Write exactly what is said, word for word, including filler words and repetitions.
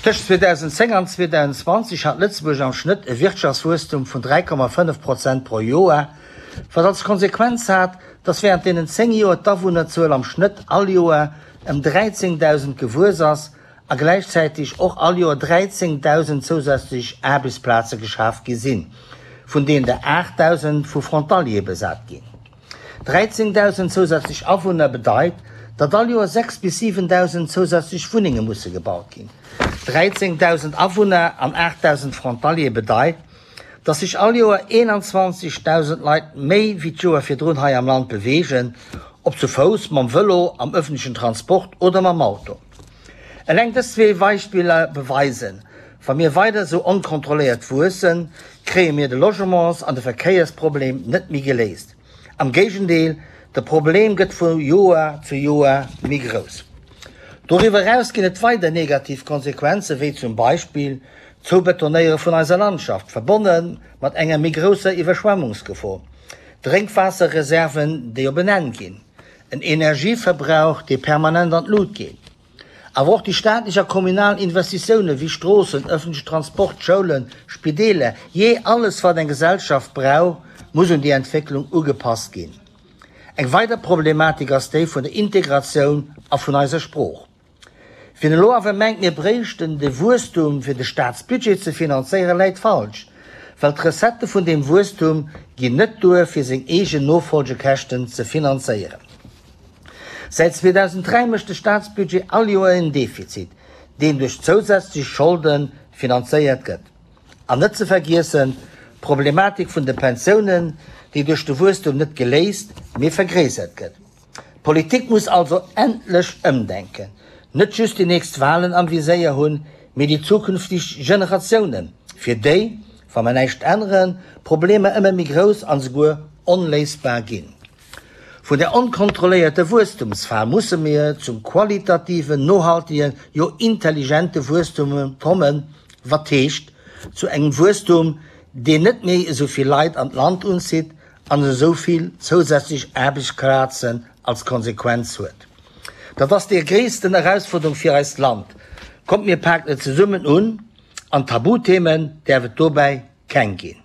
Tëscht zweedausendzéng an zweedausendzwanzeg hat Lëtzebuerg am Schnëtt e Wirtschaftswuesstum vun dräi Komma fënnef Prozent pro Joer, wat als Konsequenz hat, datt wärend deenen zéng Joer d'Awunnerzuel am Schnëtt all Joer ëm dräizéngdausend gewuess ass a gläichzäiteg och all Joer dräizéngdausend zousätzlech Aarbechtsplaze geschaf gi sinn, vun deenen der aachtdausend vu Frontaliere besat ginn. dräizéngdausend zousätzlech Awunner bedeit, datt all Joer sechs bis siwendausend zousätzlech Wunnenge musse gebaut ginn. dräizéngdausend Awunner an aachtdausend Frontaliere bedeit, datt sech all Joer eenanzwanzegdausend Leit méi wéi d'Joer virdrun hei am Land beweegen, ob zu Fouss, mam Vëlo, am ëffentlechen Transport oder mam Auto. Eleng dës zwee Beispiller beweisen, Wa mir weider esou onkontrolléiert wuessen, kréie mir de Logements an de Verkéiersproblem net méi geléist. Am Géigendeel, de Problem gëtt vu Joer zu Joer méi grouss. Doriwwer eraus ginn et weider negativ Konsequenze wéi zum Beispill d'Zoubetonéiere vun eiser Landschaft, verbonne mat enger méi grousser Iwwerschwemmungsgefor, Drénkwaasserreserven, déi op en Enn ginn, en Energieverbrauch, dee permanent an d'Lut geet. Awer och déi staatlech a kommunal Investitioune wéi Stroossen, ëffentleche Transport, Schoulen, Spideeler, jee alles wat eng Gesellschaft brauch, muss un déi Entwécklung ugepasst ginn. Eng weider Problematik ass déi vun der Integratioun a vun eiser Sprooch. Wien elo awer mengt, mir bréichten de Wuesstum fir de Staatsbudget ze finanzéieren, läit falsch, well d'Recettë vun deem Wuesstum ginn net duer fir seng eegen Nofolgekäschten ze finanzéieren. Säit zweedausenddräi mécht de Staatsbudget all Joer en Defizit, deen duerch zousätzlech Scholde finanzéiert gëtt. An net ze vergiessen d'Problematik vun de Pensiounen, déi duerch de Wuesstum net geléist, mee vergréissert gëtt. D'Politik muss also endlech ëmdenken, net just déi nächst Walen am Viséier hunn, mee déi zukünfteg Generatiounen, fir déi, wa mer näischt änneren, d'Problemer ëmmer méi grouss an esouguer onléisbar ginn. Vun der onkontrolléierte Wuesstumsfal musse mir zum qualitativen, nohaltegen, jo intelligente Wuesstum kommen, wat heescht, zu engem Wuesstum, deen net méi esou vill Leit an d'Land unzitt an esou vill zousätzlech Aarbechtsplazen als Konsequenz huet. Dat ass déi gréissten Erausfuerderung fir eist Land. Kommt mir paken et zesummen un an Tabuthemen däerf et dobäi keng ginn.